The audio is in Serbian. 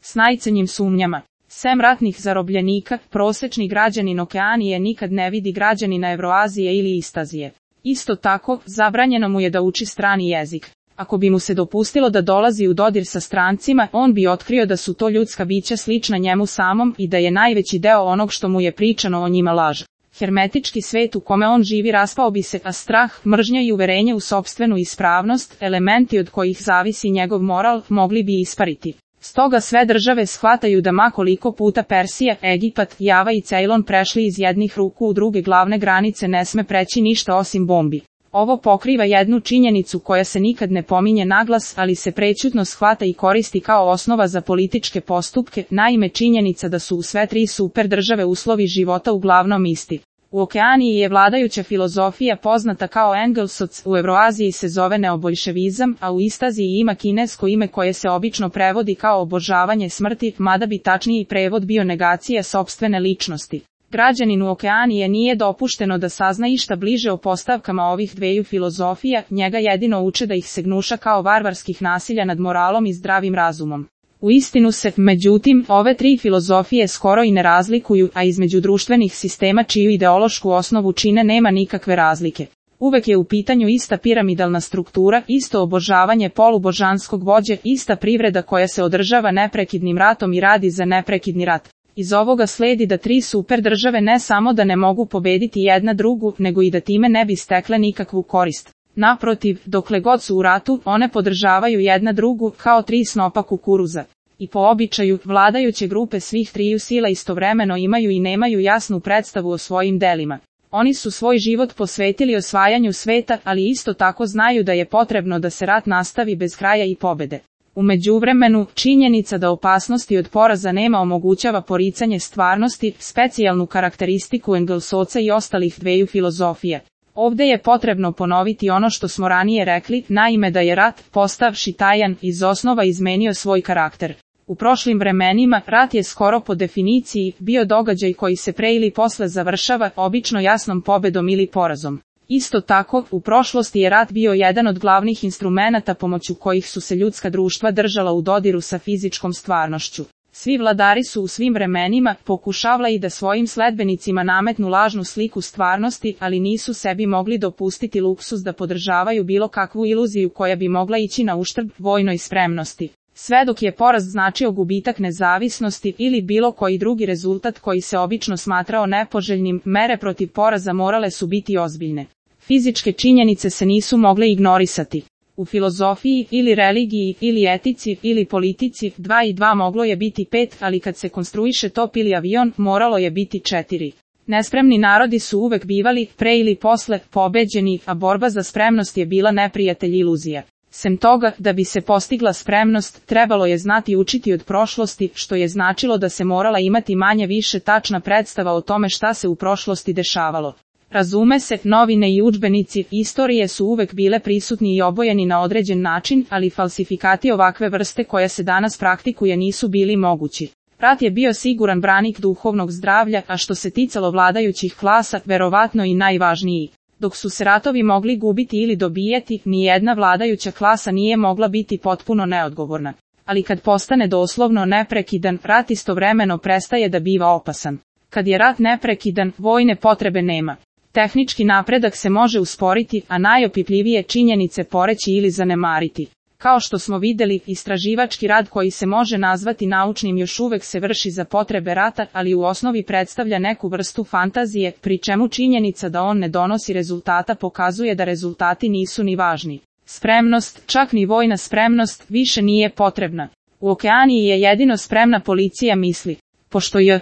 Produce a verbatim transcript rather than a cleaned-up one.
s najcenjim sumnjama. Sem ratnih zarobljenika, prosečni građanin Okeanije nikad ne vidi građanina Evroazije ili Istazije. Isto tako, zabranjeno mu je da uči strani jezik. Ako bi mu se dopustilo da dolazi u dodir sa strancima, on bi otkrio da su to ljudska bića slična njemu samom i da je najveći deo onog što mu je pričano o njima laž. Hermetički svet u kome on živi raspao bi se, a strah, mržnja i uverenje u sopstvenu ispravnost, elementi od kojih zavisi njegov moral, mogli bi ispariti. Stoga sve države shvataju da ma koliko puta Persija, Egipat, Java i Cejlon prešli iz jednih ruku u druge glavne granice ne sme preći ništa osim bombi. Ovo pokriva jednu činjenicu koja se nikad ne pominje naglas, ali se prećutno shvata i koristi kao osnova za političke postupke, naime činjenica da su u sve tri super države uslovi života uglavnom isti. U Okeaniji je vladajuća filozofija poznata kao Engelsoc, u Evroaziji se zove neoboljševizam, a u Istaziji ima kinesko ime koje se obično prevodi kao obožavanje smrti, mada bi tačniji prevod bio negacija sopstvene ličnosti. Građaninu Okeanije nije dopušteno da sazna išta bliže o postavkama ovih dveju filozofija, njega jedino uče da ih se gnuša kao varvarskih nasilja nad moralom i zdravim razumom. U istinu se, međutim, ove tri filozofije skoro i ne razlikuju, a između društvenih sistema čiju ideološku osnovu čine nema nikakve razlike. Uvek je u pitanju ista piramidalna struktura, isto obožavanje polubožanskog vođe, ista privreda koja se održava neprekidnim ratom i radi za neprekidni rat. Iz ovoga sledi da tri super države ne samo da ne mogu pobediti jedna drugu, nego i da time ne bi stekle nikakvu korist. Naprotiv, dokle god su u ratu, one podržavaju jedna drugu, kao tri snopa kukuruza. I po običaju, vladajuće grupe svih triju sila istovremeno imaju i nemaju jasnu predstavu o svojim delima. Oni su svoj život posvetili osvajanju sveta, ali isto tako znaju da je potrebno da se rat nastavi bez kraja i pobede. U međuvremenu, činjenica da opasnosti od poraza nema omogućava poricanje stvarnosti, specijalnu karakteristiku Engelsoca i ostalih dveju filozofija. Ovde je potrebno ponoviti ono što smo ranije rekli, naime da je rat, postavši tajan, iz osnova izmenio svoj karakter. U prošlim vremenima, rat je skoro po definiciji bio događaj koji se pre ili posle završava, obično jasnom pobedom ili porazom. Isto tako, u prošlosti je rat bio jedan od glavnih instrumenata pomoću kojih su se ljudska društva držala u dodiru sa fizičkom stvarnošću. Svi vladari su u svim vremenima pokušavali da svojim sledbenicima nametnu lažnu sliku stvarnosti, ali nisu sebi mogli dopustiti luksuz da podržavaju bilo kakvu iluziju koja bi mogla ići na uštrb vojnoj spremnosti. Sve dok je poraz značio gubitak nezavisnosti ili bilo koji drugi rezultat koji se obično smatrao nepoželjnim, mere protiv poraza morale su biti ozbiljne. Fizičke činjenice se nisu mogle ignorisati. U filozofiji, ili religiji, ili etici, ili politici, dva i dva moglo je biti pet, ali kad se konstruiše top ili avion, moralo je biti četiri. Nespremni narodi su uvek bivali, pre ili posle, pobeđeni, a borba za spremnost je bila neprijatelj iluzija. Sem toga, da bi se postigla spremnost, trebalo je znati učiti od prošlosti, što je značilo da se morala imati manje više tačna predstava o tome šta se u prošlosti dešavalo. Razume se, novine i udžbenici istorije su uvek bile prisutni i obojeni na određen način, ali falsifikati ovakve vrste koje se danas praktikuje nisu bili mogući. Rat je bio siguran branik duhovnog zdravlja, a što se ticalo vladajućih klasa, verovatno i najvažniji. Dok su se ratovi mogli gubiti ili dobijati, nijedna vladajuća klasa nije mogla biti potpuno neodgovorna. Ali kad postane doslovno neprekidan, rat istovremeno prestaje da biva opasan. Kad je rat neprekidan, vojne potrebe nema. Tehnički napredak se može usporiti, a najopipljivije činjenice poreći ili zanemariti. Kao što smo vidjeli, istraživački rad koji se može nazvati naučnim još uvek se vrši za potrebe rata, ali u osnovi predstavlja neku vrstu fantazije, pri čemu činjenica da on ne donosi rezultata pokazuje da rezultati nisu ni važni. Spremnost, čak ni vojna spremnost, više nije potrebna. U Okeaniji je jedino spremna policija misli. Pošto je